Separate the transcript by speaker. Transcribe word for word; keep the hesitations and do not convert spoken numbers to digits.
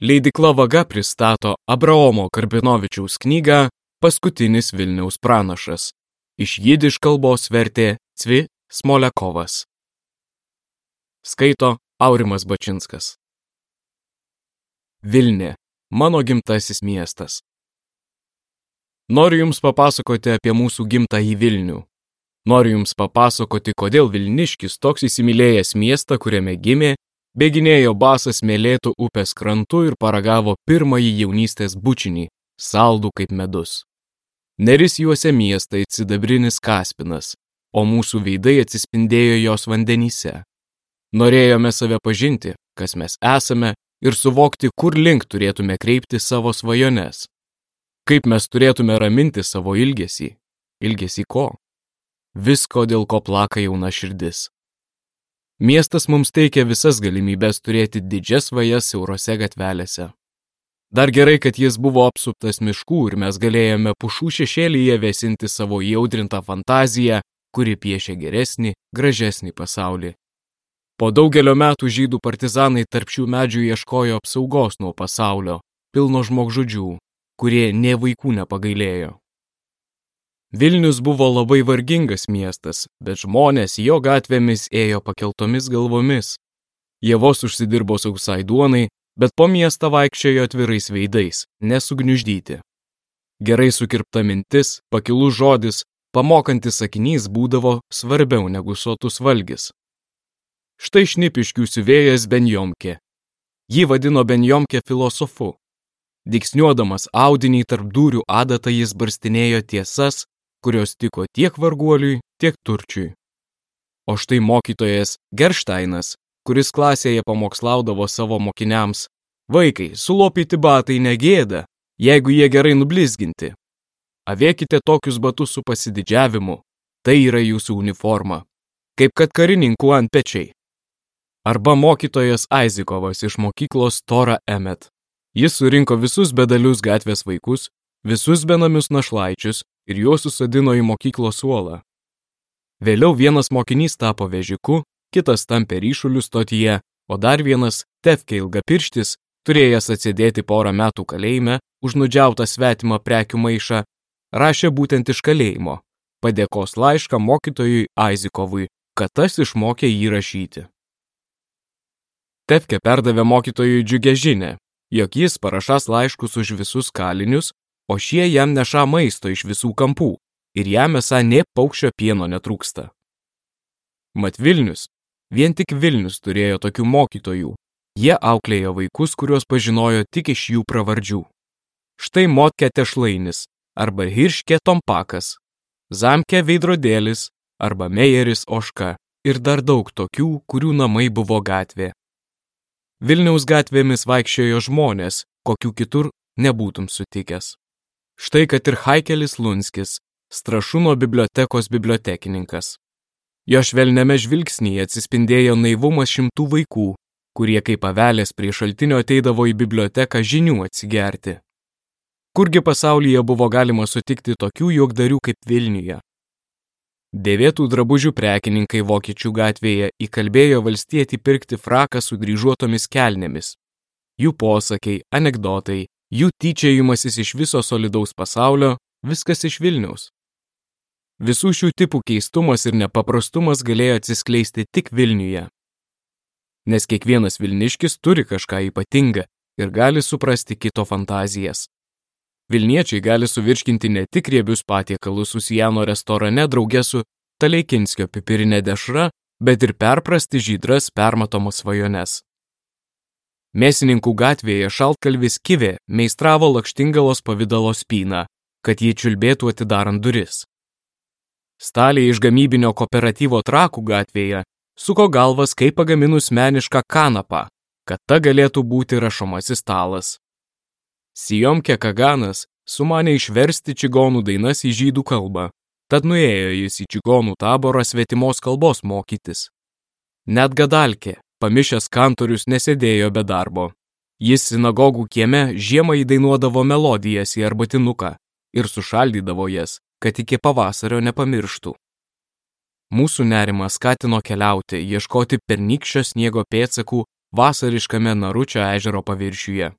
Speaker 1: Leidykla Vaga pristato Abraomo Karbinovičiaus knygą Paskutinis Vilniaus pranašas. Iš jidiš kalbos vertė Cvi Smolekovas. Skaito Aurimas Bačinskas. Vilnė – mano gimtasis miestas. Noriu Jums papasakoti apie mūsų gimtąjį Vilnių. Noriu Jums papasakoti, kodėl Vilniškis, toks įsimylėjęs miestą, kuriame gimė, bėginėjo basas Mėlėtų upės krantu ir paragavo pirmąjį jaunystės bučinį, saldų kaip medus. Neris juose miestą it sidabrinis kaspinas, o mūsų veidai atsispindėjo jos vandenyse. Norėjome save pažinti, kas mes esame, ir suvokti, kur link turėtume kreipti savo svajones. Kaip mes turėtume raminti savo ilgesį. Ilgesį ko? Visko, dėl ko plaka jauna širdis. Miestas mums teikia visas galimybės turėti didžias svajas siaurose gatvelėse. Dar gerai, kad jis buvo apsuptas miškų ir mes galėjome pušų šešėlyje vėsinti savo įaudrintą fantaziją, kuri piešia geresnį, gražesnį pasaulį. Po daugelio metų žydų partizanai tarp šių medžių ieškojo apsaugos nuo pasaulio, pilno žmogžudžių, kurie nė vaikų nepagailėjo. Vilnius buvo labai vargingas miestas, bet žmonės jo gatvėmis ėjo pakeltomis galvomis. Jie vos užsidirbo sausai duonai, bet po miestą vaikščiojo atvirais veidais, nesugniuždyti. Gerai sukirpta mintis, pakilus žodis, pamokantis sakinys būdavo svarbiau negu sotus valgis. Štai Šnipiškių siuvėjas Benjomkė. Jį vadino Benjomkė filosofu. Dygsniuodamas audinį tarp dūrių adatą jis barstinėjo tiesas, kurios tiko tiek varguoliui, tiek turčiui. O štai mokytojas Gerštainas, kuris klasėje pamokslaudavo savo mokiniams: vaikai, sulopyti batai negėda, jeigu jie gerai nublizginti. Avėkite tokius batus su pasididžiavimu, tai yra jūsų uniforma, kaip kad karininkų antpečiai. Arba mokytojas Aizikovas iš mokyklos Tora Emet. Jis surinko visus bedalius gatvės vaikus, visus benamius našlaičius ir juos susadino į mokyklos suolą. Vėliau vienas mokinys tapo vežiku, kitas tampė ryšulių stotyje, o dar vienas, Tefkė Ilgapirštis, turėjęs atsėdėti porą metų kalėjime už nudžiautą svetimą prekių maišą, rašė būtent iš kalėjimo, padėkos laišką mokytojui Aizikovui, kad tas išmokė jį rašyti. Tefkė perdavė mokytojui džiugią žinią, jog jis parašas laiškus už visus kalinius, o šie jam neša maisto iš visų kampų ir jam esą nė paukščio pieno netrūksta. Mat Vilnius, vien tik Vilnius turėjo tokių mokytojų. Jie auklėjo vaikus, kuriuos pažinojo tik iš jų pravardžių. Štai Motkė Tešlainis arba Hirškė Tompakas, Zamkė Veidrodėlis arba Mejeris Oška ir dar daug tokių, kurių namai buvo gatvė. Vilniaus gatvėmis vaikščiojo žmonės, kokių kitur nebūtum sutikęs. Štai kad ir Haikelis Lunskis, Strašūno bibliotekos bibliotekininkas. Jo švelniame žvilgsnyje atsispindėjo naivumas šimtų vaikų, kurie kaip avelės prie šaltinio ateidavo į biblioteką žinių atsigerti. Kurgi pasaulyje buvo galima sutikti tokių juokdarių kaip Vilniuje? Dėvėtų drabužių prekininkai Vokiečių gatvėje įkalbėjo valstietį pirkti fraką su dryžuotomis kelnėmis. Jų posakiai, anekdotai, jų tyčiojimasis iš viso solidaus pasaulio, viskas iš Vilniaus. Visų šių tipų keistumas ir nepaprastumas galėjo atsiskleisti tik Vilniuje. Nes kiekvienas Vilniškis turi kažką ypatingą ir gali suprasti kito fantazijas. Vilniečiai gali suvirškinti ne tik riebius patiekalus Susijano restorane drauge su Taleikinskio pipirinė dešra, bet ir perprasti žydras permatomas svajones. Mėsininkų gatvėje šaltkalvis Kivė meistravo lakštingalos pavidalo spyną, kad jį čiulbėtų atidarant duris. Staliai iš gamybinio kooperatyvo Trakų gatvėje suko galvas, kaip pagaminus menišką kanapą, kad ta galėtų būti rašomasis stalas. Sijomkė Kaganas sumanė išversti čigonų dainas į žydų kalbą, tad nuėjo jis į čigonų taborą svetimos kalbos mokytis. Net Gadalkė, pamišęs kantorius, nesėdėjo be darbo. Jis sinagogų kieme žiemą įdainuodavo melodijas į arbatinuką ir sušaldydavo jas, kad iki pavasario nepamirštų. Mūsų nerimą skatino keliauti, ieškoti pernykščio sniego pėdsakų vasariškame Naručio ežero paviršiuje.